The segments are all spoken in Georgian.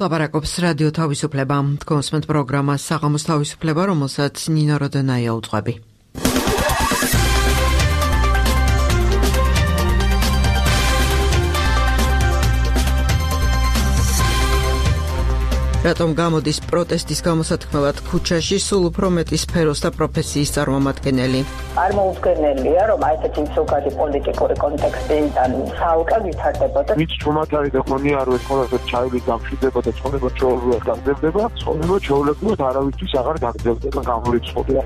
ლაპარაკობს რადიო თავისუფლება. კონსმენტ პროგრამა საღამოს თავისუფლება, რომელსაც ნინო როდენაია უძღვები. რატომ გამოდის პროტესტის გამოსათქმელად ქუჩაში სულ უფრო მეტი სფეროს და პროფესიის წარმომადგენელი? წარმოუდგენელია, რომ ასეთი მსოგადი პოლიტიკური კონტექსტიდან საალკა ვითარდებოდა. ვინც ჩუმად არის და მონიაროს ყოველთვის ჩაივი გამშვიდება და ცხოვრება ჩვეულებრივად გაგრძელდება, ცხოვრება ჩვეულებრივად არავისთვის აღარ გაგრძელდება გამორიცხულია.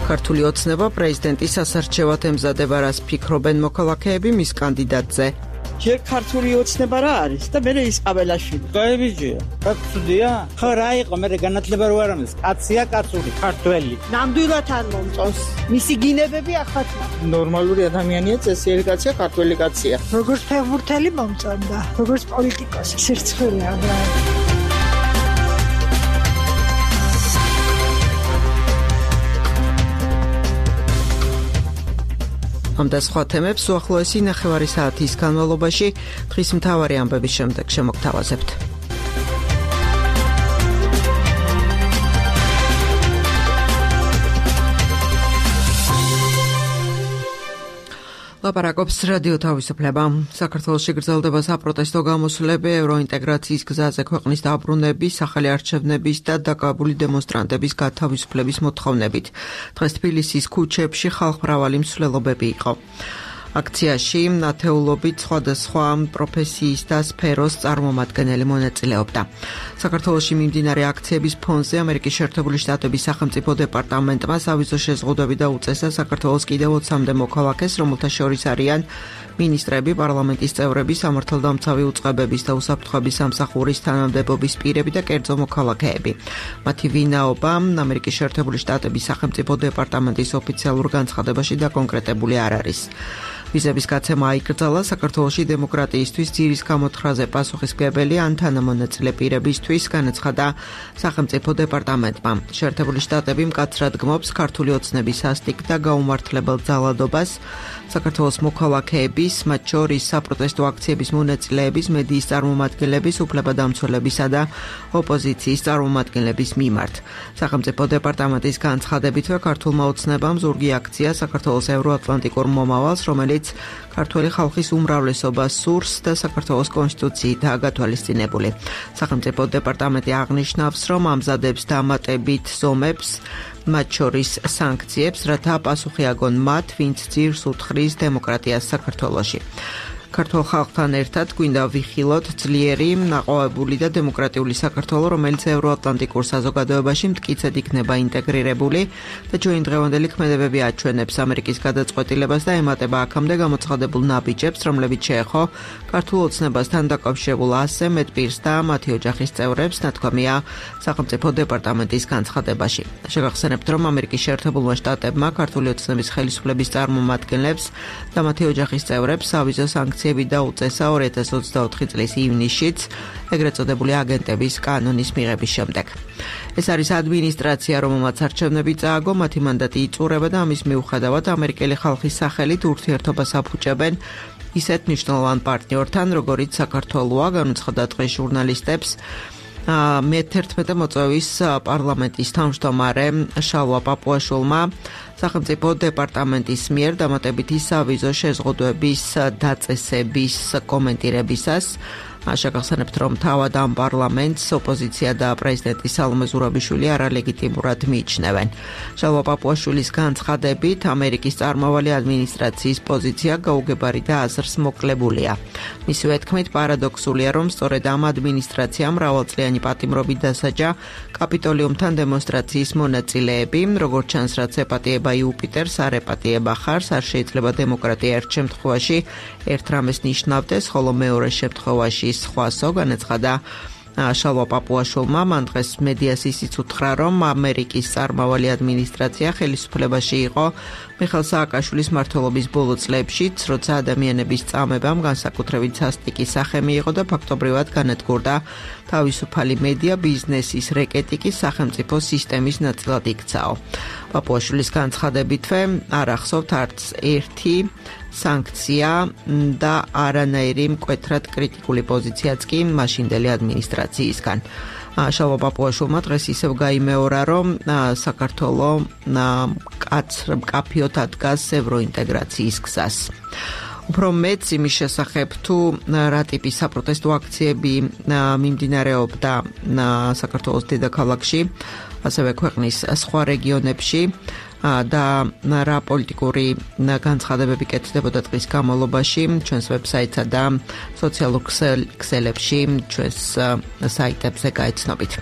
ქართული ოცნება პრეზიდენტის სასარჩევად ემზადება, რას ფიქრობენ მოქალაქეები მის კანდიდატზე. ჯერ ქართული ოცნება რა არის და მერე ისყაბელაშვილი. გაებიჯია. კაცუდია? ხო რა იყო, მე განათლება რო არ ამის. კაცია კაცური, ქართველი. ნამდვილად არ მომწონს. მისი გინებები ახაჩა. ნორმალური ადამიანია, წესიერი კაცია, ქართველი კაცია. როგორც ფეხბურთელი მომწონდა, როგორც პოლიტიკოსი, სირცხვილია რა. ამ და სხვა თემებს უახლოესი ნახევარი საათის განმავლობაში დღის მთავარი ამბების შემდეგ შემოგთავაზებთ. ლაპარაკობს რადიო თავისუფლება. საქართველოში გრძელდება საპროტესტო გამოსვლები ევროინტეგრაციის გზაზე ქვეყნის დაბრუნების, სახელი არჩევნების და დაკავებული დემონსტრანტების გათავისუფლების მოთხოვნებით. დღეს თბილისის ქუჩებში ხალხმრავალი მსვლელობები იყო. აქციაში ათეულობით სხვადასხვა პროფესიის და სფეროს წარმომადგენელი მონაწილეობდა. საქართველოში მიმდინარე აქციების ფონზე ამერიკის შეერთებული შტატების სახელმწიფო დეპარტამენტმა სავიზო შეზღუდვები დაუწესა საქართველოს კიდევ 20-მდე მოქალაქეს, რომელთა შორის არიან მინისტრები, პარლამენტის წევრები, სამართალდამცავი უწყებების და უსაფრთხოების სამსახურის თანამდებობის პირები და კერძო მოქალაქეები. მათი ვინაობა ამერიკის შეერთებული შტატების სახელმწიფო დეპარტამენტის ოფიციალურ განცხადებაში დაკონკრეტებული არ არის. ვიზების გაცემა აიკრძალა საქართველოში დემოკრატიისთვის ძირის გამოთხრაზე პასუხისმგებელი ან თანამონაწილე პირებისთვის, განაცხადა სახელმწიფო დეპარტამენტმა. შეერთებული შტატები მკაცრად გმობს ქართული ოცნების სასტიკ და გაუმართლებელ ძალადობას, საქართველოს მოქალაქეების, მათ შორის საპროტესტო აქციების მონაწილეების, მედიის წარმომადგენლების, უფლებადამცველებისა და ოპოზიციის წარმომადგენლების მიმართ. სახელმწიფო დეპარტამენტის განცხადებითვე ქართულმა ოცნებამ ზურგი აქცია საქართველოს ევროატლანტიკურ მომავალს, რომელიც ქართველი ხალხის უმრავლესობას სურს და საქართველოს კონსტიტუციითაა გათვალისწინებული. სახელმწიფო დეპარტამენტი აღნიშნავს, რომ ამზადებს დამატებით ზომებს, მათ შორის სანქციებს, რათა პასუხი აგონ მათ, ვინც ძირს უთხრის დემოკრატიას საქართველოში. ქართულ ხალხთან ერთად გვინდა ვიხილოთ ძლიერი, ნაყოვებული და დემოკრატიული საქართველო, რომელიც ევროატლანტიკურ საზოგადოებაში მტკიცედ იქნება ინტეგრირებული და ჩვენი დღევანდელი ქმედებები აჩვენებს ამერიკის გადაწყვეტილებას და ემატება აქამდე გამოცხადებულ ნაბიჯებს, რომლებიც შეეხო ქართულ ოცნებასთან დაკავშირებულ 100 მეტ პირს და მათი ოჯახის წევრებს, ნათქვამია სახელმწიფო დეპარტამენტის განცხადებაში. შეგახსენებთ, რომ ამერიკის შეერთებულმა შტატებმა ქართული ოცნების ხელისუფლების წარმომადგენლებს და მათი ოჯახის წევრებს სავიზო სანქციები დაუწესა 2024 წლის ივნისშიც, ეგრეთ წოდებული აგენტების კანონის მიღების შემდეგ. ეს არის ადმინისტრაცია, რომელმაც არჩევნები წააგო, მათი მანდატი იწურება და ამის მიუხედავად ამერიკელი ხალხის სახელით ურთიერთობას აფუჭებენ ისეთ მნიშვნელოვან პარტნიორთან, როგორიც საქართველოა, განუცხადა დღეს ჟურნალისტებს მე-11 მოწვევის პარლამენტის თავმჯდომარე შალვა პაპუაშვილმა სახელმწიფო დეპარტამენტის მიერ დამატებითი სავიზო შეზღუდვების დაწესების კომენტირებისას. შეგახსენებთ, რომ თავად ამ პარლამენტს ოპოზიცია და პრეზიდენტი სალომე ზურაბიშვილი არალეგიტიმურად მიიჩნევენ. შალვა პაპუაშვილის განცხადებით, ამერიკის წარმავალი ადმინისტრაციის პოზიცია გაუგებარი და აზრს მოკლებულია. მისივე თქმით, პარადოქსულია, რომ სწორედ ამ ადმინისტრაციამ მრავალწლიანი პატიმრობით დასაჯა კაპიტოლიუმთან დემონსტრაციის მონაწილეები, როგორც ჩანს, რაც ეპატიება იუპიტერს, არ ეპატიება ხარს, არ შეიძლება დემოკრატია ერთ შემთხვევაში ერთ რამეს ნიშნავდეს, ხოლო მეორე შემთხვევაში სხვასო, განაცხადა შალვა პაპუაშვილმა მან დღეს მედიას ისიც უთხრა, რომ ამერიკის წარმავალი ადმინისტრაცია ხელისუფლებაში იყო მიხეილ სააკაშვილის მმართველობის ბოლო წლებშიც, როცა ადამიანების წამებამ განსაკუთრებით სასტიკი სახე მიიღო და ფაქტობრივად განადგურდა თავისუფალი მედია ბიზნესის რეკეტი კი სახელმწიფო სისტემის ნაწილად იქცაო. პაპუაშვილის განცხადებითვე არ ახსოვთ არც ერთი სანქცია და არანაირი მკვეთრად კრიტიკული პოზიციაც კი მაშინდელი ადმინისტრაციისგან. შალვა პაპუაშვილმა დღეს ისევ გაიმეორა, რომ საქართველოს მკაფიოდ ადგას ევროინტეგრაციის გზას. უფრო მეც იმის შესახებ თუ რა ტიპის საპროტესტო აქციები მიმდინარეობდა საქართველოს დედაქალაქში, ასევე ქვეყნის სხვა რეგიონებში და რა პოლიტიკური განცხადებები კეთდებოდა დღის განმავლობაში ჩვენს ვებსაიტსა და სოციალურ ქსელებში ჩვენს საიტებზე გაეცნობით.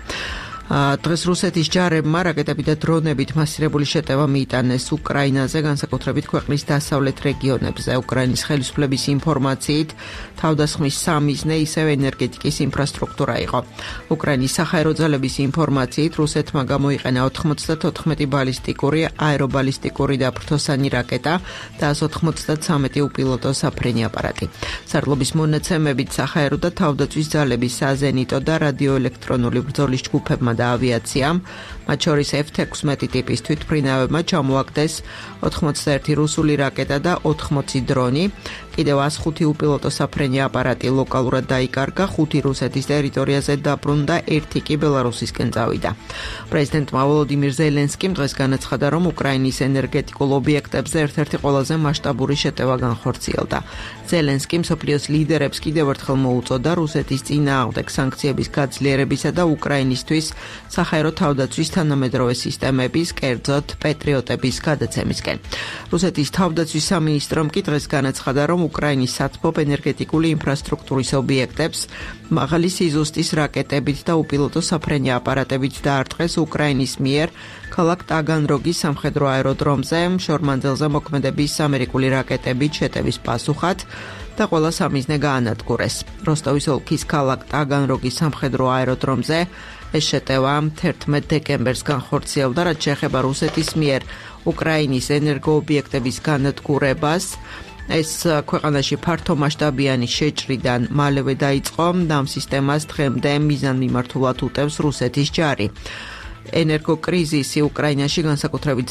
დღეს რუსეთის ჯარებმა რაკეტები და დრონებით მასირებული შეტევა მიიტანეს უკრაინაზე, განსაკუთრებით ქვეყნის დასავლეთ რეგიონებზე. უკრაინის ხელისუფლების ინფორმაციით, თავდასხმის სამიზნე ისევ ენერგეტიკის ინფრასტრუქტურა იყო. უკრაინის საჰაერო ძალების ინფორმაციით, რუსეთმა გამოიყენა 94 ბალისტიკური, აერობალისტიკური და ფრთოსანი რაკეტა და 193 უპილოტო საფრენი აპარატი. სარდლობის მონაცემებით საჰაერო და თავდაცვის ძალების საზენიტო და რადიოელექტრონული ბრძოლის ჯგუფებმა და ავიაციამ, მათ შორის F-16 ტიპის თვითმფრინავებმა ჩამოაგდეს 81 რუსული რაკეტა და 80 დრონი, კიდევ 105 უპილოტო საფრენი აპარატი ლოკალურად დაიკარგა, 5 რუსეთის ტერიტორიაზე დაბრუნდა, 1 კი ბელარუსისკენ წავიდა. პრეზიდენტმა ვოლოდიმირ ზელენსკიმ დღეს განაცხადა, რომ უკრაინის ენერგეტიკულ ობიექტებზე ერთ-ერთი ყველაზე მასშტაბური შეტევა განხორციელდა. ზელენსკი მსოფლიოს ლიდერებს კიდევ ერთხელ მოუწოდა რუსეთის წინააღმდეგ სანქციების გაძლიერებისა და უკრაინისთვის საჰაერო თავდაცვის თანამედროვე სისტემების, კერძოდ პეტრიოტების გადაცემისკენ. რუსეთის თავდაცვის სამინისტრომ კი დღეს განაცხადა, რომ უკრაინის სათბობ ენერგეტიკული ინფრასტრუქტურის ობიექტებს მაღალი სიზუსტის რაკეტებით და უპილოტო საფრენი აპარატებით დაარტყეს უკრაინის მიერ ქალაქ ტაგანროგის სამხედრო აეროდრომზე შორმანძილზე მოქმედების ამერიკული რაკეტებით შეტევის პასუხად და ყველა სამიზნე გაანადგურეს. როსტოვის ოლქის ქალაქ ტაგანროგის სამხედრო აეროდრომზე ეს შეტევა 11 დეკემბერს განხორციელდა, რაც შეეხება რუსეთის მიერ უკრაინის ენერგოობიექტების განადგურებას. ეს ქვეყანაში ფართომასშტაბიანი შეჭრიდან მალევე დაიწყო და ამ სისტემას დღემდე მიზანმიმართულად უტევს რუსეთის ჯარი. ენერგოკრიზისი უკრაინაში განსაკუთრებით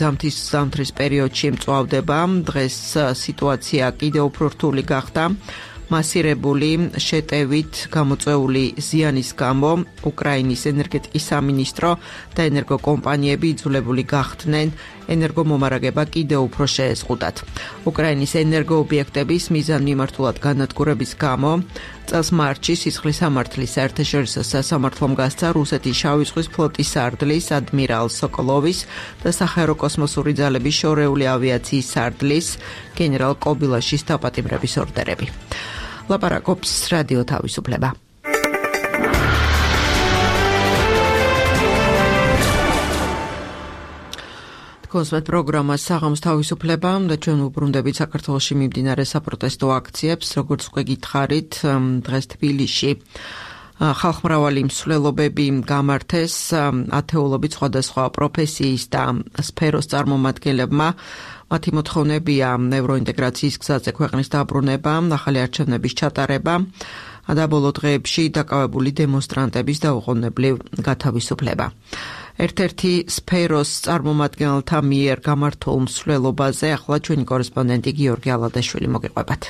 ზამთრის პერიოდში მწვავდება. დღეს სიტუაცია კიდევ უფრო რთული გახდა. მასირებული შეტევით გამოწვეული ზიანის გამო უკრაინის ენერგეტიკის სამინისტრო და ენერგოკომპანიები იძულებული გახდნენ ენერგომომარაგება კიდევ უფრო შეეზღუდათ. უკრაინის ენერგოობიექტების მიზანმიმართულად განადგურების გამო წელს მარტში სისხლის სამართლის საერთაშორისო სასამართლომ გასცა რუსეთის შავი ზღვის ფლოტის სარდლის ადმირალ სოკოლოვის და საჰაერო კოსმოსური ძალების შორეული ავიაციის სარდლის გენერალ კობილაშის დაპატიმრების ორდერები. ლაპარაკობს რადიო თავისუფლება. კონსვეთ პროგრამა საღამოს თავისუფლება და ჩვენ უბრუნდებით საქართველოში მიმდინარე საპროტესტო აქციებს, როგორც უკვე გითხარით, დღეს თბილისში ხალხმრავალი მსვლელობები გამართეს ათეულობით სხვადასხვა პროფესიის და სფეროს წარმომადგენლებმა. მათი მოთხოვნებია ევროინტეგრაციის გზაზე ქვეყნის დაბრუნება, ახალი არჩევნების ჩატარება და ბოლო დღეებში დაკავებული დემონსტრანტების დაუყოვნებლივ გათავისუფლება. ერთ-ერთი სფეროს წარმომადგენელთა მიერ გამართულ მსვლელობაზე ახლა ჩვენი კორესპონდენტი გიორგი ალადაშვილი მოგიყვებათ.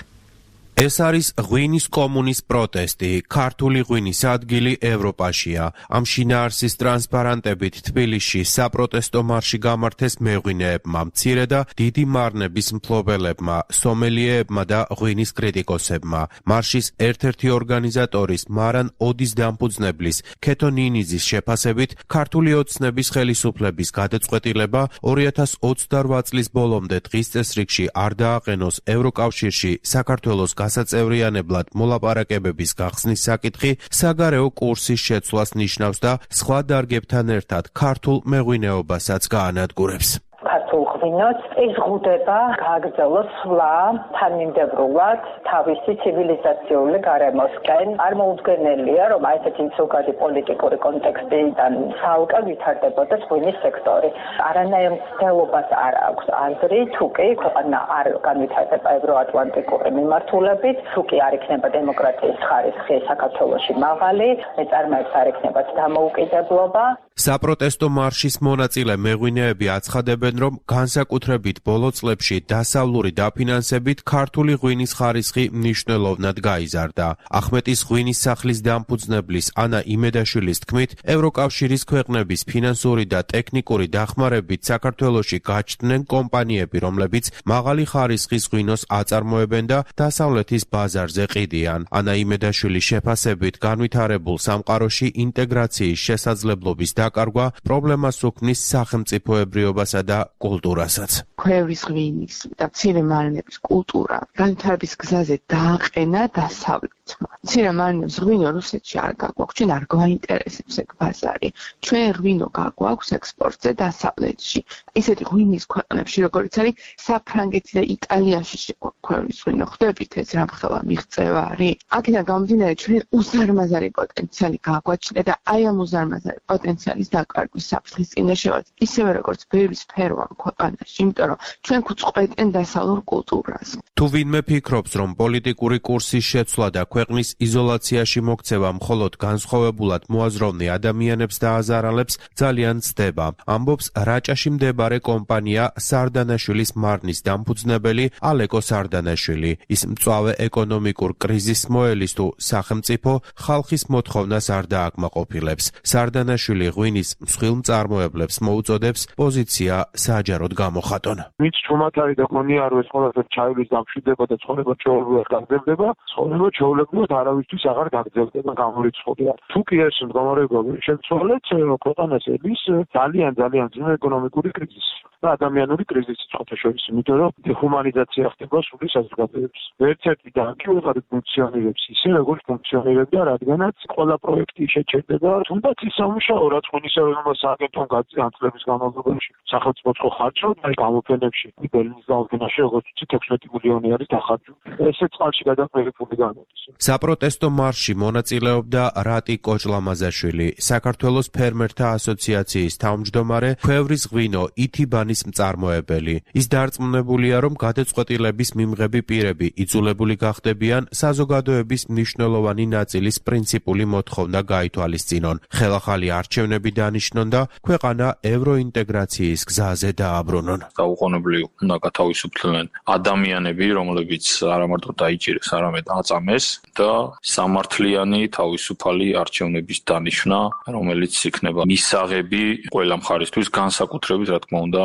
ეს არის ღვინის კომუნის პროტესტი. ქართული ღვინის ადგილი ევროპაშია. ამ შინაარსის ტრანსპარანტებით თბილისში საპროტესტო მარში გამართეს მეღვინეებმა, მცირე და დიდი მარნების მფლობელებმა, სომელიეებმა და ღვინის კრიტიკოსებმა. მარშის ერთ-ერთი ორგანიზატორის მარან ოდის დამფუძნებლის ქეთო ნინიძის შეფასებით ქართული ოცნების ხელისუფლების გადაწყვეტილება 2028 წლის ბოლომდე დღის წესრიგში არ დააყენოს ევროკავშირში საქართველოს გასაწევრიანებლად მოლაპარაკებების გახსნის საკითხი საგარეო კურსის შეცვლას ნიშნავს და სხვა დარგებთან ერთად ქართულ მეღვინეობასაც გაანადგურებს. ქართულ ღვინოს ეს ღუდება გააგრძელოს სვლა თანმიმდევრულად თავისი ცივილიზაციული გარემოსკენ. არ მოუდგენელია, რომ ესეთი ზოგადი პოლიტიკური კონტექსტიდან ცალკე ვითარდებოდეს ღვინის სექტორი. არანაირ მცდელობას არ აქვს აზრი, თუ კი ქვეყანა არ განვითარდება ევროატლანტიკური მიმართულებით, თუ კი არ იქნება დემოკრატიის ხარისხი საქართველოში მაღალი, მეწარმეებს არ იქნებათ დამოუკიდებლობა. საპროტესტო მარშის მონაწილე მეღვინეები აცხადებენ, რომ განსაკუთრებით ბოლო წლებში დასავლური დაფინანსებით ქართული ღვინის ხარისხი მნიშვნელოვნად გაიზარდა. ახმეტის ღვინის სახლის დამფუძნებლის ანა იმედაშვილის თქმით, ევროკავშირის ქვეყნების ფინანსური და ტექნიკური დახმარებით საქართველოში გაჩნდნენ კომპანიები, რომლებიც მაღალი ხარისხის ღვინოს აწარმოებენ და დასავლეთის ბაზარზე ყიდიან. ანა იმედაშვილის შეფასებით განვითარებულ სამყაროში ინტეგრაციის შესაძლებლობის დაკარგვა პრობლემას უქმნის სახელმწიფოებრიობასა და კულტურასაც. ქვევრის ღვინის და მცირე მარილების კულტურა განვითარების გზაზე დააყენა დასავლეთმა. მცირე მარილების ღვინო რუსეთში არ გაგვაქვს, ჩვენ არ გვაინტერესებს ეგ ბაზარი. ჩვენ ღვინო გაგვაქვს ექსპორტზე დასავლეთში. ისეთი ღვინის ქვეყნებში, როგორც არის საფრანგეთი და იტალიაში ქვევრის ღვინო, ხვდებით ეს რამხელა მიღწევა არის. აქედან გამომდინარე, ჩვენ უზარმაზარი პოტენციალი გაგვაჩნდა და აი ამ უზარმაზარი პოტენციალის დაკარგვის საფრთხის წინაშე ვართ. ისევე როგორც ბევრი სფერო ამ ქვეყანაში, იმიტომ რომ ჩვენ გვწყვეტენ დასავლურ კულტურას. თუ ვინმე ფიქრობს, რომ პოლიტიკური კურსის შეცვლა და ქვეყნის იზოლაციაში მოქცევა მხოლოდ განსხვავებულად მოაზროვნე ადამიანებს დააზარალებს, ძალიან ცდება. ამბობს რაჭაში მდებარე კომპანია სარდანაშვილის მარნის დამფუძნებელი ალეკო სარდანაშვილი. ის მწვავე ეკონომიკურ კრიზისს მოელის თუ სახელმწიფო ხალხის მოთხოვნას არ დააკმაყოფილებს. სარდანაშვილი ღვინის მსხვილ მწარმოებლებს მოუწოდებს პოზიცია საჯაროდ გამოხატონ. ვინც ჩუმათარი და გონია რომ ეს ყველაფერი ჩაივლის დამშვიდება და ცხოვრება ჩვეულებრივად გაგრძელდება, ცხოვრება ჩვეულებრივად არავისთვის აღარ გაგრძელდება გამორიცხულია. თუ კი ეს მდგომარეობა შეცვალეთ, ქვეყანას ელის ძალიან ძლიერი ეკონომიკური კრიზისი და ადამიანური კრიზისი წოთაშორის, იმიტომ რომ დეჰუმანიზაცია ხდება სული საზოგადოების. ერთ-ერთი და კი უღარ ფუნქციონირებს ისე, როგორც ფუნქციონირებდა, რადგანაც ყველა პროექტი შეჩერდება, თუნდაც ის სამუშაო, რაც ღვინისეულობა სააგენტომ განწყობის განმავლობაში სახელმწიფო ხარჯავდა, აი გამოფენებში ბერლინის გამოფენაში როგორც 16 მილიონი არის დახარჯული. ესე წყალში გადაყენებული გამოდის. საპროტესტო მარშში მონაწილეობდა რატი კოჭლამაზაშვილი, საქართველოს ფერმერთა ასოციაციის თავმჯდომარე, ქვევრის ღვინო ითიბანის მწარმოებელი. ის დარწმუნებულია, რომ გადაწყვეტილების მიმღები პირები იძულებული გახდებიან საზოგადოების მნიშვნელოვანი ნაწილის პრინციპული მოთხოვნა გაითვალისწინონ. ხელახალი არჩევნები დანიშნონ და ქვეყანა ევროინტეგრაციის გზაზე დააბრუნონ. დაუყოვნებლივ უნდა გათავისუფლდნენ ადამიანები, რომლებიც არა მარტო დაიჭირეს, არამედ აწამეს და სამართლიანი თავისუფალი არჩევნების დანიშვნა, რომელიც იქნება მისაღები ყველა მხარისთვის, განსაკუთრებით რა თქმა უნდა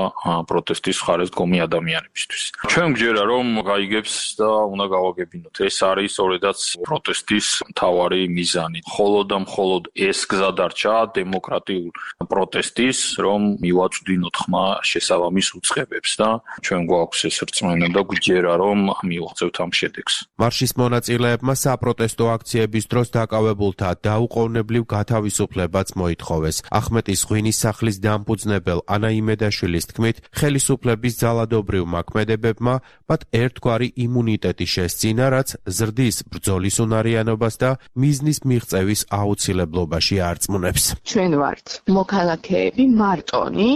პროტესტის მხარეს დგომი ადამიანებისთვის. ჩვენ გვჯერა რომ გაიგებს და უნდა გავაგებინოთ. ეს არის სწორედაც პროტესტის მთავარი მიზანი. მხოლოდ და მხოლოდ ეს გზა დარჩა დემოკრატიულ პროტესტის, რომ მივაწვდინოთ ხმა შესაბამის უწყებებს და ჩვენ გვაქვს ეს რწმენა და გვჯერა რომ მივაღწევთ ამ შედეგს. მარშის მონაწილეებმა საპროტესტო აქციების დროს დაკავებულთა დაუყოვნებლივ გათავისუფლებაც მოითხოვეს. ახმეტის ღვინის სახლის დამფუძნებელ ანა იმედაშვილის თქმით, ხელისუფლების ძალადობრივ მოქმედებებმა მათ ერთგვარი იმუნიტეტი შესწინა, რაც ზრდის ბრძოლის უნარიანობას და მიზნის მიღწევის აუცილებლობაში არწმუნებს. ჩვენ ვართ მოქალაქეები მარტონი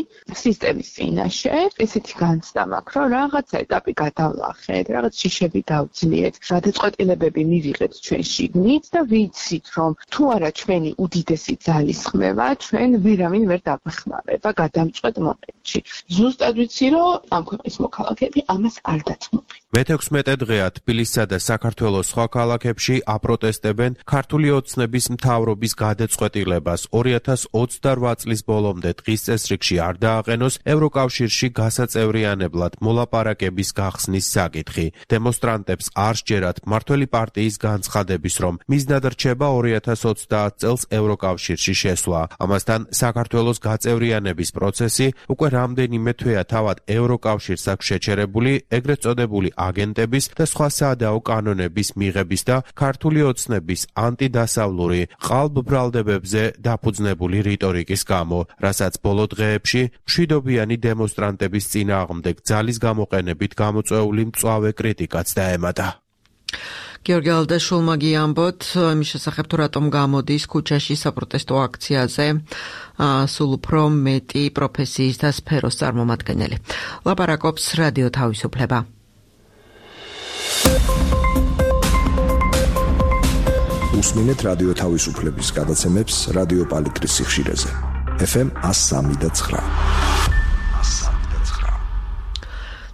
სისტემის წინაშე, ესეთი განცდა მაქვს, რომ რაღაც ეტაპი გადავლახეთ, რაღაც შიშები დავძლიეთ, გადაწყვეტილებები მივიღეთ ჩვენ შიგნით და ვიცით, რომ თუ არა ჩვენი უდიდესი ძალისხმევა, ჩვენ ვერავინ ვერ დაგვეხმარება გადამწყვეტ მომენტში. ზუსტად ვიცი, რომ ამ ქვეყნის მოქალაქეები ამას არ დათმობენ. მე-16 დღეა თბილისსა და საქართველოს სხვა ქალაქებში აპროტესტებენ ქართული ოცნების მთავრობის გადაწყვეტილებას 2028 წლის ბოლომდე დღის წესრიგში არ დააყენოს ევროკავშირში გასაწევრიანებლად მოლაპარაკების გახსნის საკითხი. დემონსტრანტებს არ სჯერათ მმართველი პარტიის განცხადების, რომ მიზნად რჩება 2030 წელს ევროკავშირში შესვლა. ამასთან საქართველოს გაწევრიანების პროცესი უკვე რამდენიმე თვეა თავად ევროკავშირს აქვს შეჩერებული ეგრეთ წოდებული აგენტების და სხვა საადაო კანონების მიღების და ქართული ოცნების ანტიდასავლური ყალბბრალდებებზე დაფუძნებული რიტორიკის გამო, რასაც ბოლო დღეებში მშვიდობიანი დემონსტრანტების წინააღმდეგ ძალის გამოყენებით გამოწვეული მწვავე კრიტიკაც დაემატა. გიორგი ალდაშულმა გიამბოთ იმის შესახებ თუ რატომ გამოდის ქუჩაში საპროტესტო აქციაზე სულ უფრო მეტი პროფესიის და სფეროს წარმომადგენელი. ლაპარაკობს რადიო თავისუფლება. უსმინეთ რადიო თავისუფლების გადაცემებს რადიო პალიტრის სიხშირეზე. FM 103.9.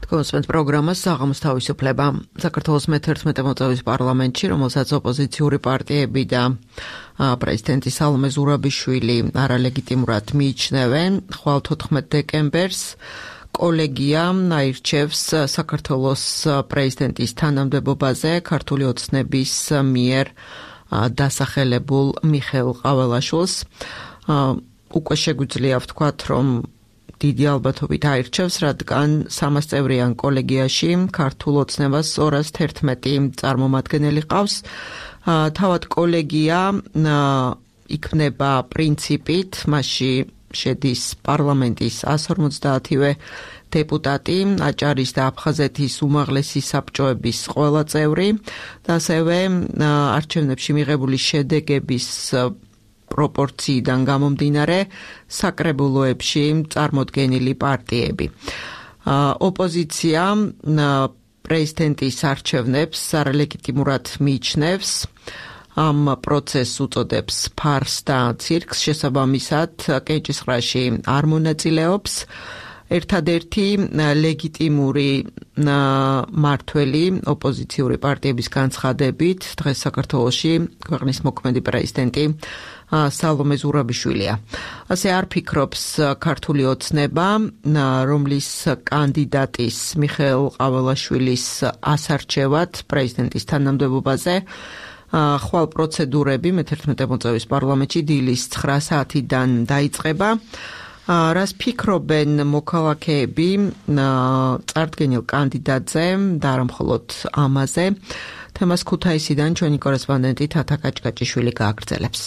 კონსპენს პროგრამას საღამოს თავისუფლება. საქართველოს მე-11 მოწვევის პარლამენტში, რომელსაც ოპოზიციური პარტიები და პრეზიდენტი სალომე ზურაბიშვილი არალეგიტიმურად მიიჩნევენ, ხვალ 14 დეკემბერს კოლეგია აირჩევს საქართველოს პრეზიდენტის თანამდებობაზე ქართული ოცნების მიერ დასახელებულ მიხეილ ყაველაშვილს. უკვე შეგვიძლია ვთქვათ, რომ დიდი ალბათობით აირჩევს, რადგან 300 წევრიან კოლეგიაში ქართულ ოცნებას 211 წარმომადგენელი ყავს. თავად კოლეგია იქნება პრინციპით, მასში შედის პარლამენტის 150-ვე დეპუტატი, აჭარის და აფხაზეთის უმაღლესი საბჭოების ყველა წევრი და ასევე არჩევნებში მიღებული შედეგების პროპორციიდან გამომდინარე საკრებულოებში წარმოდგენილი პარტიები. ოპოზიცია პრეზიდენტის არჩევნებს არალეგიტიმურად მიიჩნევს. ამ პროცესს უწოდებს ფარს და ცირკს, შესაბამისად კენჭისყრაში არ მონაწილეობს. ერთადერთი ლეგიტიმური მართველი ოპოზიციური პარტიების განცხადებით დღეს საქართველოში ქვეყნის მოქმედი პრეზიდენტი სალომე ზურაბიშვილია. ასე არ ფიქრობს ქართული ოცნება, რომლის კანდიდატის მიხეილ ყაველაშვილის ასარჩევად პრეზიდენტის თანამდებობაზე ხვალ პროცედურები მე-11 მოწვევის პარლამენტში დილის 9 საათიდან დაიწყება. რას ფიქრობენ მოქალაქეები წარდგენილ კანდიდატზე და არა მხოლოდ ამაზე? თემას ქუთაისიდან ჩვენი კორესპონდენტი თათა კაჭკაჭიშვილი გააგრძელებს.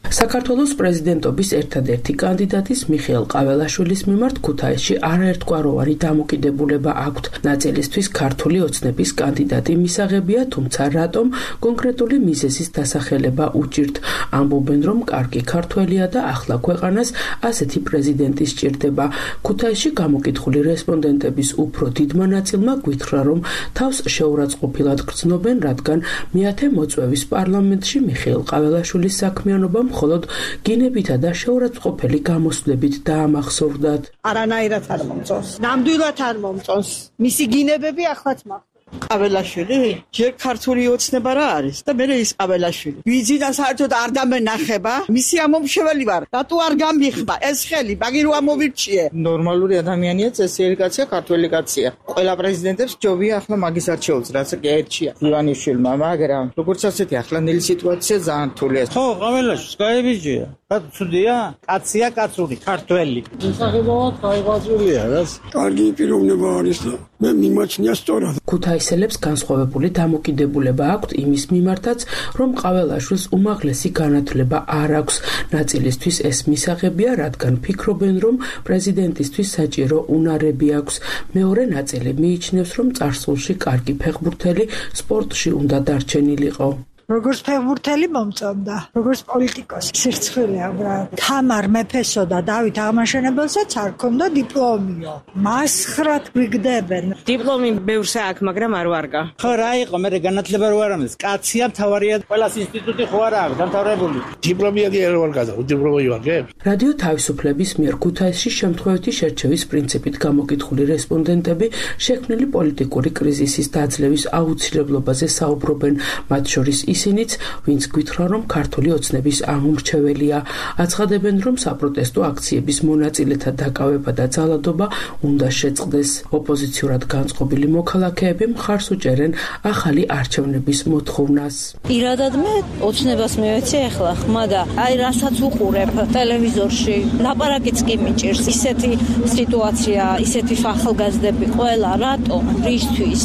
საქართველოს პრეზიდენტობის ერთადერთი კანდიდატის მიხეილ ყაველაშვილის მიმართ ქუთაისში არაერთგვაროვანი დამოკიდებულება აქვთ. ნაწილისთვის ქართული ოცნების კანდიდატი მისაღებია, თუმცა რატომ კონკრეტული მიზეზის დასახელება უჭირთ. ამბობენ, რომ კარგი ქართველია და ახლა ქვეყანას ასეთი პრეზიდენტი სჭირდება. ქუთაისში გამოკითხული რესპონდენტების უფრო დიდმა ნაწილმა გვითხრა, რომ თავს შეურაცხყოფილად გრძნობენ, რადგან მე-10 მოწვევის პარლამენტში მიხეილ ყაველაშვილის საქმიანობა მხოლოდ გინებითა და შეურაცხყოფელი გამოსვლებით დაამახსოვრდათ. არანაირად არ მომწონს. ნამდვილად არ მომწონს. მისი გინებები ახლაც მაქვს. ყაველაშვილი? ჯერ ქართული ოცნება რა არის და მე ის ყაველაშვილი. ვიძინა საერთოდ არ დამენახება. მისი ამომრჩეველი ვარ. რატო არ გამიხმა ეს ხელი? მაგი რო ამოვირჩიე. ნორმალური ადამიანია, წესიერი კაცია, ქართველი კაცია. ყველა პრეზიდენტებს ჯობია ახლა მაგის არჩეულს, რაც კი ერთია. ივანიშვილმა, მაგრამ როგორც ასეთი ახლანდელი სიტუაცია ძალიან რთულია. ხო, ყაველაშვილს გაებიჯია. რა ცუდია? კაცია, კაცური, ქართველი. შესაძლოა გაიბაძულია, რას? კარგი პიროვნება არის და მე მიმაჩნია სწორად. ქუთაისელებს განსხვავებული დამოკიდებულება აქვთ იმის მიმართაც, რომ ყაველაშვილს უმაღლესი განათლება არ აქვს. ნაწილისთვის ეს მისაღებია, რადგან ფიქრობენ, რომ პრეზიდენტისთვის საჭირო უნარები აქვს. მეორე ნაწილი მიიჩნევს, რომ წარსულში კარგი ფეხბურთელი სპორტში უნდა დარჩენილიყო. როგორც ფეხბურთელი მომწონდა, როგორც პოლიტიკოსი. სირცხვილია, უბრალოდ. თამარ მეფესო და დავით აღმაშენებელსაც არ ქონდა დიპლომიო. მასხრად გვიგდებენ. დიპლომი ბევრსა აქვს, მაგრამ არ ვარგა. ხო, რა იყო, მე განათლება რო არ ამდეს. კაცია, მთავარია, ყველა ინსტიტუტი ხო არ აქვს დამთავრებული. დიპლომია კი არ ვარგა, დიპლომი ვარგებ. რადიო თავისუფლების მიერ ქუთაისში შემთხვევითი შერჩევის პრინციპით გამოკითხული რესპონდენტები შექმნილი პოლიტიკური კრიზისის დაძლევის აუცილებლობაზე საუბრობენ, მათ შორის ისინიც, ვინც გვითხრა, რომ ქართული ოცნების ამომრჩეველია. აცხადებენ, რომ საპროტესტო აქციების მონაწილეთა დაკავება და ძალადობა უნდა შეწყდეს. ოპოზიციურად განწყობილი მოქალაქეები მხარს უჭერენ ახალი არჩევნების მოთხოვნას. პირადად მე ოცნებას მივეცე ახლა ხმა და აი რასაც უყურებ ტელევიზორში, ლაპარაკიც კი მიჭირს. ისეთი სიტუაცია, ისეთი ახალგაზრდები ყველა რატომ, რისთვის?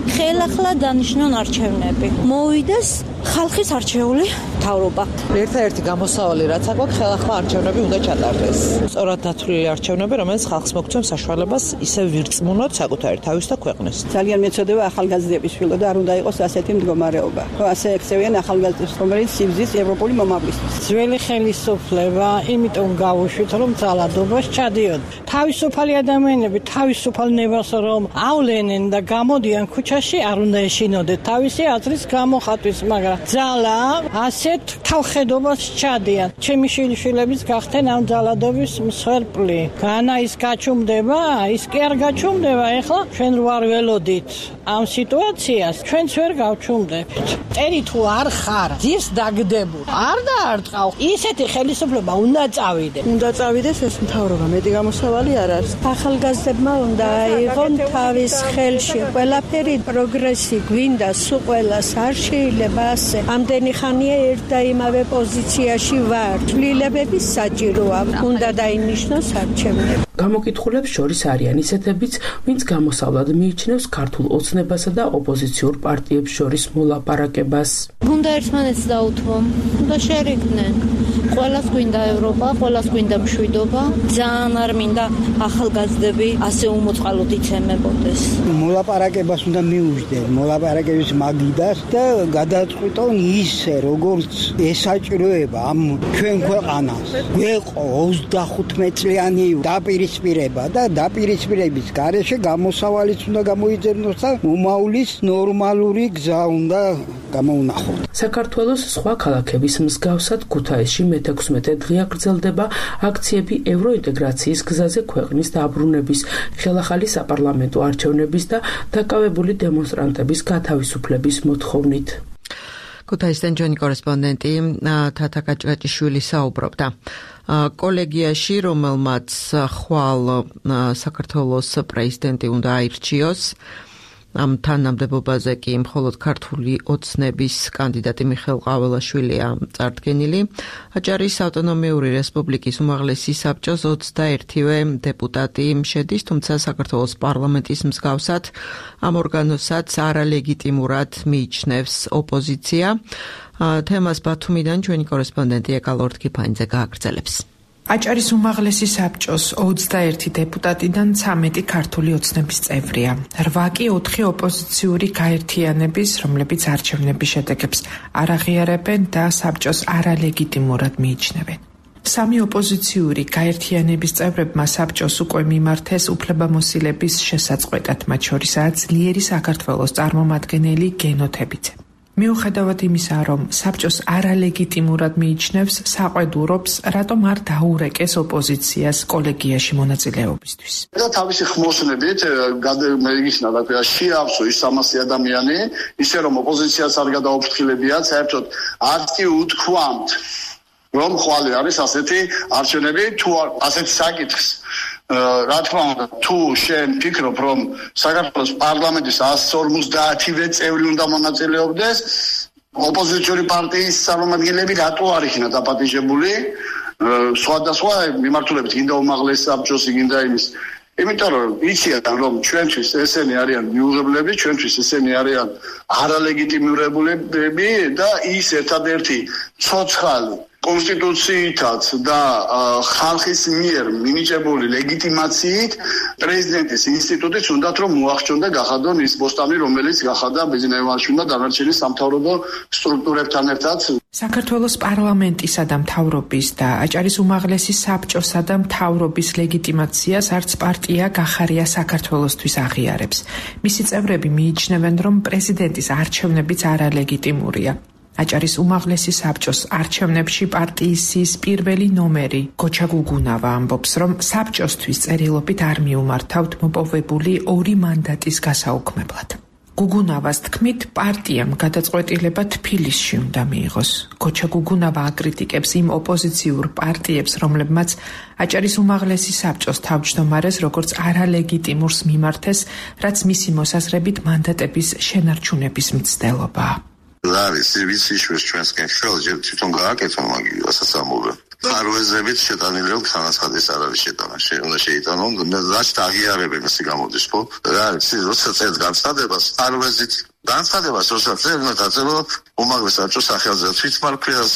ხელახლა დანიშნონ არჩევნები. მოვიდეს ხალხის არჩეული მთავრობა. ერთადერთი გამოსავალი რაც აქვს, ხელახლა არჩევნები უნდა ჩატარდეს. სწორად დათვლილი არჩევნები, რომელიც ხალხს მოგცემს საშუალებას ისე ვირწმუნოთ საკუთარი თავის და ქვეყნის. ძალიან მეწოდება ახალგაზრდების შვილო და არ უნდა იყოს ასეთი მდგომარეობა. ასე ექცევიან ახალგაზრდებს, რომელიც სიბზის ევროპული მომავლისთვის. ძველი ხელისუფლება იმიტომ გავუშვით, რომ ძალადობას ჩადიოდ. თავისუფალი ადამიანები თავისუფალ ნებას რომ ავლენენ და გამოდიან ქუჩაში, არ უნდა ეშინოდეთ თავისი აზრის გამოხატვის, მაგრამ ძალა ასეთ თავხედობას ჩადიან. ჩემი შვილიშვილების გახდნენ ამ ძალადობის მსხვერპლი. განა ის გაჩუმდება, ის კი არ გაჩუმდება. ეხლა ჩვენ ვარ ველოდით ამ სიტუაციას, ჩვენც ვერ გავჩუმდებთ. წერი თუ არ ხარ, ძირს დაგდებულ. არ დაარტყავ. ისეთი ხელისუფლება უნდა წავიდეს. უნდა წავიდეს ეს მთავრობა, მეტი გამოსავალი არ არის. ახალგაზრდებმა უნდა აიღონ თავის ხელში ყველაფერი პროგრესი გვინდა, სულ ყველას არ შეიძლება ასე. ამდენი ხანია ერთ და იმავე პოზიციაში ვარ. ცვლილებების საჭიროა. უნდა დაინიშნოს არჩევნები. გამოკითხულებს შორის არიან ისეთებიც, ვინც გამოსავლად მიიჩნევს ქართულ ოცნებასა და ოპოზიციურ პარტიებს შორის მოლაპარაკებას. უნდა ერთმანეთს დაუთმონ და შერიგდნენ. ყველას გვინდა ევროპა, ყველას გვინდა მშვიდობა. ძალიან არ მინდა ახალგაზრდები ასე უმოწყალოდ იცემებოდეს. მოლაპარაკებას უნდა მიუждენ, მოლაპარაკების მაგიდას და გადაწყვიტონ ისე, როგორც ესაჭიროება ამ ჩვენ ქვეყანას. გვეყო 35 წლიანი დაპირისპირება და დაპირისპირების გარეშე გამოსავალიც უნდა გამოიძებნოს და უმავლის ნორმალური გზა უნდა გამოუნახოთ. საქართველოს სხვა ქალაქების მსგავსად ქუთაისში მე-16 დღეა გრძელდება აქციები ევროინტეგრაციის გზაზე ქვეყნის დაბრუნების, ხელახალი საპარლამენტო არჩევნების და დაკავებული დემონსტრანტების გათავისუფლების მოთხოვნით. ქუთაისიდან ჩვენი კორესპონდენტი თათა კაჭკაჭიშვილი საუბრობდა. კოლეგიაში, რომელმაც ხვალ საქართველოს პრეზიდენტი უნდა აირჩიოს, ამ თანამდებობაზე კი მხოლოდ ქართული ოცნების კანდიდატი მიხეილ ყაველაშვილია წარდგენილი. აჭარის ავტონომიური რესპუბლიკის უმაღლესი საბჭოს 21-ვე დეპუტატი შედის, თუმცა საქართველოს პარლამენტის მსგავსად ამ ორგანოსაც არალეგიტიმურად მიიჩნევს ოპოზიცია. თემას ბათუმიდან ჩვენი კორესპონდენტი ეკალორდ-კიფანიძე გააგრძელებს. აჭარის უმაღლესი საბჭოს 21 დეპუტატიდან 13 ქართული ოცნების წევრია. 8 კი 4 ოპოზიციური გაერთიანების, რომლებიც არჩევნების შედეგებს არ აღიარებენ და საბჭოს არალეგიტიმურად მიიჩნევენ. 3 ოპოზიციური გაერთიანების წევრებმა საბჭოს უკვე მიმართეს უფლებამოსილების შესაწყვეტად, მათ შორისაა ძლიერი საქართველოს წარმომადგენელი გენოთებიძე. მიუხედავად იმისა, რომ საბჭოს არალეგიტიმურად მიიჩნევს, საყვედურობს, რატომ არ დაურეკეს ოპოზიციას კოლეგიაში მონაწილეობისთვის. და თავისი ხმოსნებით გადაიგიხსნა და შეავსო ის 300 ადამიანი, ისე რომ ოპოზიციას არ გადაუფრთხილებიათ, საერთოდ არც კი უთქვამთ, რომ ხვალე არის ასეთი არჩევნები თუ ასეთი საკითხს. რა თქმა უნდა, თუ შენ ფიქრობ, რომ საქართველოს პარლამენტის 150-ვე წევრი უნდა მონაწილეობდეს, ოპოზიციური პარტიის წარმომადგენლები რატო არ იქნა დაპატიჟებული? სხვადასხვა მიმართულებით, გინდა უმაღლესი საბჭოს, გინდა იმის. იმიტომ რომ იციან, რომ ჩვენთვის ესენი არიან მიუღებლები, ჩვენთვის ესენი არიან არალეგიტიმურებულები და ის ერთადერთი ცოცხალი კონსტიტუციითაც და ხალხის მიერ მინიჭებული ლეგიტიმაციით პრეზიდენტის ინსტიტუტიც უნდათ რომ მოახჩონ და გახადონ ის ბოსტანი, რომელიც გახადა ბიზნესმენში და დანარჩენი სამთავრობო სტრუქტურებთან ერთად. საქართველოს პარლამენტისა და მთავრობის და აჭარის უმაღლესი საბჭოსა და მთავრობის ლეგიტიმაციას არც პარტია გახარია საქართველოსთვის აღიარებს. მისი წევრები მიიჩნევენ, რომ პრეზიდენტის არჩევნებიც არალეგიტიმურია. აჭარის უმაღლესი საბჭოს არჩევნებში პარტიის პირველი ნომერი გოჩა გუგუნავა ამბობს, რომ საბჭოსთვის წერილობით არ მიუმართავთ მოპოვებული 2 მანდატის გასაუქმებლად. გუგუნავას თქმით, პარტიამ გადაწყვეტილება თბილისში უნდა მიიღოს. გოჩა გუგუნავა აკრიტიკებს იმ ოპოზიციურ პარტიებს, რომლებმაც აჭარის უმაღლესი საბჭოს თავმჯდომარეს როგორც არალეგიტიმურს მიმართეს, რაც მისი მოსაზრებით მანდატების შენარჩუნების მცდელობაა. არის ვიციშვეს ჩვენსკენ ხელში თვითონ გააკეთო მაგის ასამოვე. ხარვეზებით შეტანილი ხანაცხადის არ არის შეტანა. უნდა შეიტანონ, რაც აღიარებენ ისე გამოდის, ხო? რა არის, როცა წერს განცხადებას, ხარვეზით განცხადებას როცა დაწერო უმაღლეს საბჭოს სახელზე თვითმარქვიას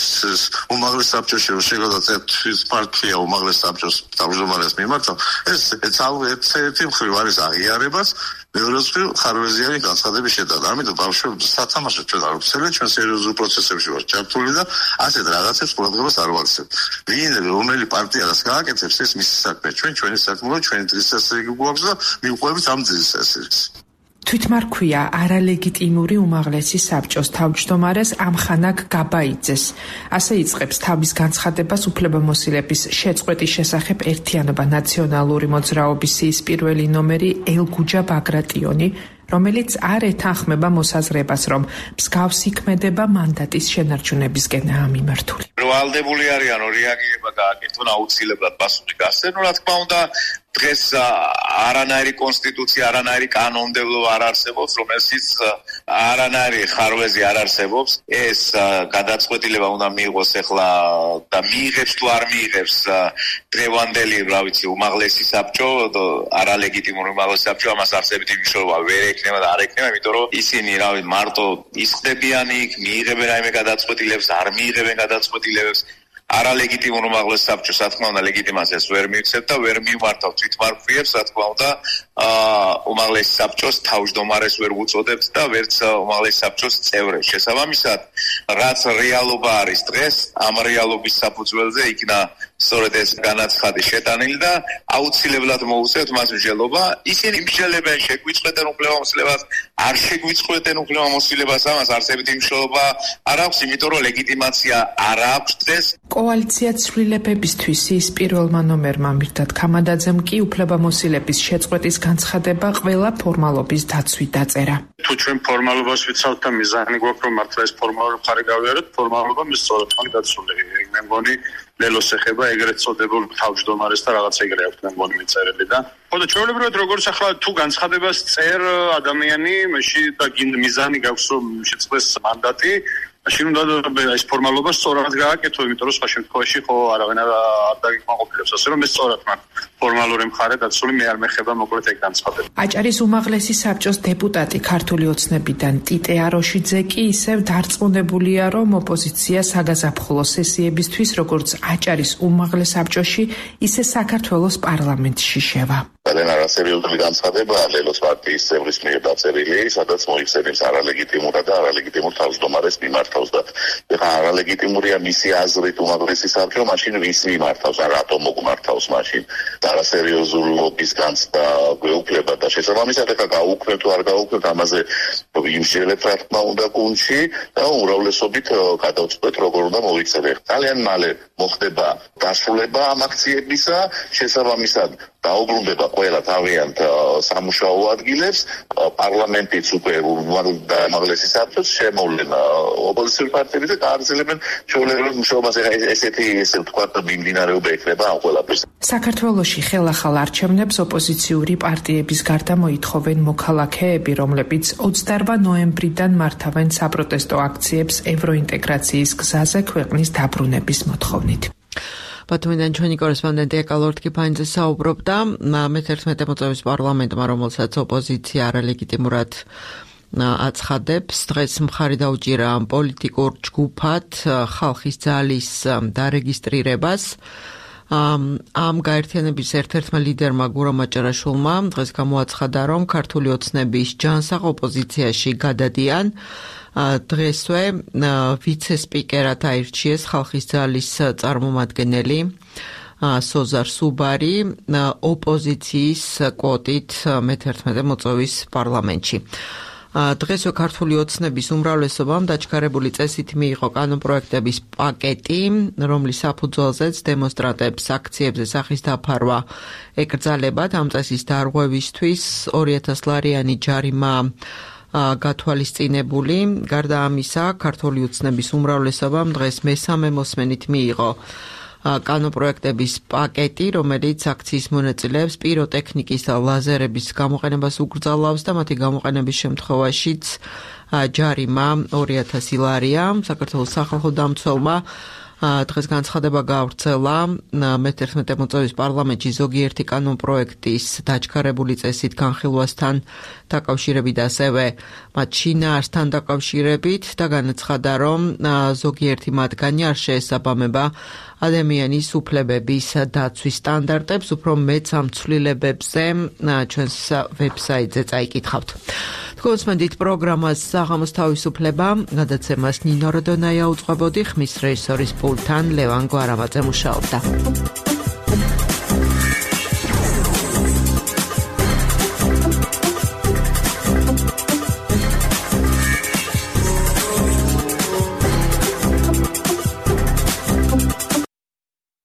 უმაღლეს საბჭოში შეგადაცეთ თვითმარქვია უმაღლეს საბჭოს თავმჯდომარეს მიმართა ეს ერთი მხრივ არის აღიარებას მეორე მხრივ ხარვეზიანი განცხადების შეტანა ამიტომ ბავშვებს სათამაშოდ ჩვენ არ ვცელეთ ჩვენ სერიოზულ პროცესებში ვართ ჩართული და ასეთ რაღაცებს ყურადღებას არ ვაქცევთ ვინ რომელი პარტია რას გააკეთებს ეს მისი საქმე ჩვენი საქმეა ჩვენი დღესასწაული გვაქვს და მივყვებით ამ დღესასწაულს თვითმარქვია არალეგიტიმური უმაღლესი საბჭოს თავმჯდომარეს ამხანაგ გაბაიძეს. ასე იწყებს თავის განცხადებას უფლებამოსილების შეწყვეტის შესახებ ერთიანობა ნაციონალური მოძრაობის სიის პირველი ნომერი ელგუჯა ბაგრატიონი, რომელიც არ ეთანხმება მოსაზრებას, რომ მსგავსი ქმედება მანდატის შენარჩუნებისკენაა მიმართული. ვალდებული არიან რეაგირება გააკეთონ აუცილებლად პასუხი გასცენ, რა თქმა უნდა დღეს არანაირი კონსტიტუცია, არანაირი კანონმდებლო არ არსებობს, რომელშიც არანაირი ხარვეზი არ არსებობს. ეს გადაწყვეტილება უნდა მიიღოს ახლა და მიიღებს თუ არ მიიღებს დღევანდელი, რა ვიცი, უმაღლესი საბჭო, არალეგიტიმური უმაღლესი საბჭო, ამას არსებითი მნიშვნელობა ვერ ექნება და არ ექნება, იმიტომ რომ ისინი, რა ვიცი, მარტო ისხდებიან იქ, მიიღებენ რაიმე გადაწყვეტილებას, არ მიიღებენ გადაწყვეტილებას. არალეგიტიმურ უმაღლეს საბჭოს, რა თქმა უნდა, ლეგიტიმაციას ვერ მივცემთ და ვერ მივმართავთ თვითმარქვიებს, რა თქმა უნდა, უმაღლეს საბჭოს თავმჯდომარეს ვერ უწოდებთ და ვერც უმაღლეს საბჭოს წევრებს. შესაბამისად, რაც რეალობა არის დღეს, ამ რეალობის საფუძველზე იქნა სწორედ ეს განაცხადი შეტანილი და აუცილებლად მოუწევთ მას მსჯელობა. ისინი მსჯელებენ, შეგვიწყვეტენ უფლებამოსილებას, არ შეგვიწყვეტენ უფლებამოსილებას, ამას არსებითი მნიშვნელობა არ აქვს, იმიტომ რომ ლეგიტიმაცია არ აქვს დღეს. კოალიცია ცვლილებებისთვის ის პირველმა ნომერმა მირდად ქამადაძემ კი უფლებამოსილების შეწყვეტის განცხადება ყველა ფორმალობის დაცვით დაწერა. თუ ჩვენ ფორმალობას ვიცავთ და მიზანი გვაქვს რომ მართლა ეს ფორმალური მხარე გავიაროთ, ფორმალობა მის სწორად დაცული. მე მგონი ლელოს ეხება ეგრეთ წოდებულ თავმჯდომარეს და რაღაც ეგრე აქვს მე მგონი მიწერილი და ხოდა ჩვეულებრივად როგორც ახლა თუ განცხადებას წერ ადამიანი მაშინ და მიზანი გაქვს რომ შეწყდეს მანდატი მაშინ უნდა ეს ფორმალობა სწორად გააკეთო, იმიტომ რომ სხვა შემთხვევაში ხო არავინ არ დაგიკმაყოფილებს, ასე რომ ეს სწორად მაქვს ფორმალური მხარე დაცული, მე არ მეხება მოკლედ ეგ განცხადება. აჭარის უმაღლესი საბჭოს დეპუტატი ქართული ოცნებიდან ტიტე აროშიძე კი ისევ დარწმუნებულია, რომ ოპოზიცია საგაზაფხულო სესიებისთვის, როგორც აჭარის უმაღლეს საბჭოში, ისე საქართველოს პარლამენტში შევა. ძალიან არასერიოზული განცხადებაა ლელოს პარტიის წევრის მიერ დაწერილი, სადაც მოიხსენებს არალეგიტიმურად და არალეგიტიმურ თავმჯდომარეს მიმართავს და ეხლა არალეგიტიმურია მისი აზრით უმაღლესი საბჭო, მაშინ ვის მიმართავს, რატომ მოგმართავს მაშინ და არასერიოზულობის განცდა გვეუფლება და შესაბამისად ეხლა გაუქმებთ თუ არ გაუქმებთ ამაზე ვიმსჯელებთ რა თქმა უნდა გუნდში და უმრავლესობით გადავწყვეტ როგორ უნდა მოიქცეთ. ძალიან მალე მოხდება დასრულება ამ აქციებისა, შესაბამისად დაუბრუნდება ყველა თავიანთ სამუშაო ადგილებს, პარლამენტიც უკვე უმაღლესი საბჭოს შემოვლენ ოპოზიციური პარტიები და გააგრძელებენ ჩვეულებრივ მუშაობას. ესეთი ესე ვთქვათ მიმდინარეობა ექნება ამ ყველაფერს. საქართველოში ხელახალ არჩევნებს ოპოზიციური პარტიების გარდა მოითხოვენ მოქალაქეები, რომლებიც 28 ნოემბრიდან მართავენ საპროტესტო აქციებს ევროინტეგრაციის გზაზე ქვეყნის დაბრუნების მოთხოვნით. ბათუმიდან ჩვენი კორესპონდენტი ეკალორდ კიფაინძე საუბრობდა მე-11 მოწვევის პარლამენტმა, რომელსაც ოპოზიცია არალეგიტიმურად აცხადებს. დღეს მხარი დაუჭირა პოლიტიკურ ჯგუფად ხალხის ძალის დარეგისტრირებას. ამ გაერთიანების ერთ-ერთმა ლიდერმა გურამ აჭარაშვილმა დღეს გამოაცხადა, რომ ქართული ოცნების ჯანსაღ ოპოზიციაში გადადიან. დღესვე ვიცე-სპიკერად აირჩიეს ხალხის ძალის წარმომადგენელი სოზარ სუბარი ოპოზიციის კვოტით მე-11 მოწვევის პარლამენტში. დღესვე ქართული ოცნების უმრავლესობამ დაჩქარებული წესით მიიღო კანონპროექტების პაკეტი, რომლის საფუძველზეც დემონსტრანტებს აქციებზე სახის დაფარვა ეკრძალებათ. ამ წესის დარღვევისთვის 2000 ლარიანი ჯარიმა გათვალისწინებული. გარდა ამისა, ქართული ოცნების უმრავლესობამ დღეს მესამე მოსმენით მიიღო კანონპროექტების პაკეტი, რომელიც აქციის მონაწილეებს პიროტექნიკის და ლაზერების გამოყენებას უკრძალავს და მათი გამოყენების შემთხვევაშიც ჯარიმა 2000 ლარია. საქართველოს სახალხო დამცველმა დღეს განცხადება გავრცელა მე-11 მოწვევის პარლამენტში ზოგიერთი კანონპროექტის დაჩქარებული წესით განხილვასთან დაკავშირებით ასევე მათ შინაარსთან დაკავშირებით და განაცხადა, რომ ზოგიერთი მათგანი არ შეესაბამება ადამიანის უფლებების დაცვის სტანდარტებს, უფრო მეც ამ ცვლილებებზე ჩვენს ვებსაიტზე წაიკითხავთ. გონსმენდით პროგრამას საღამოს თავისუფლება, გადაცემას ნინო როდონაია უწყებოდი, ხმის რეჟისორის პულტთან ლევან გვარამაძე მუშაობდა.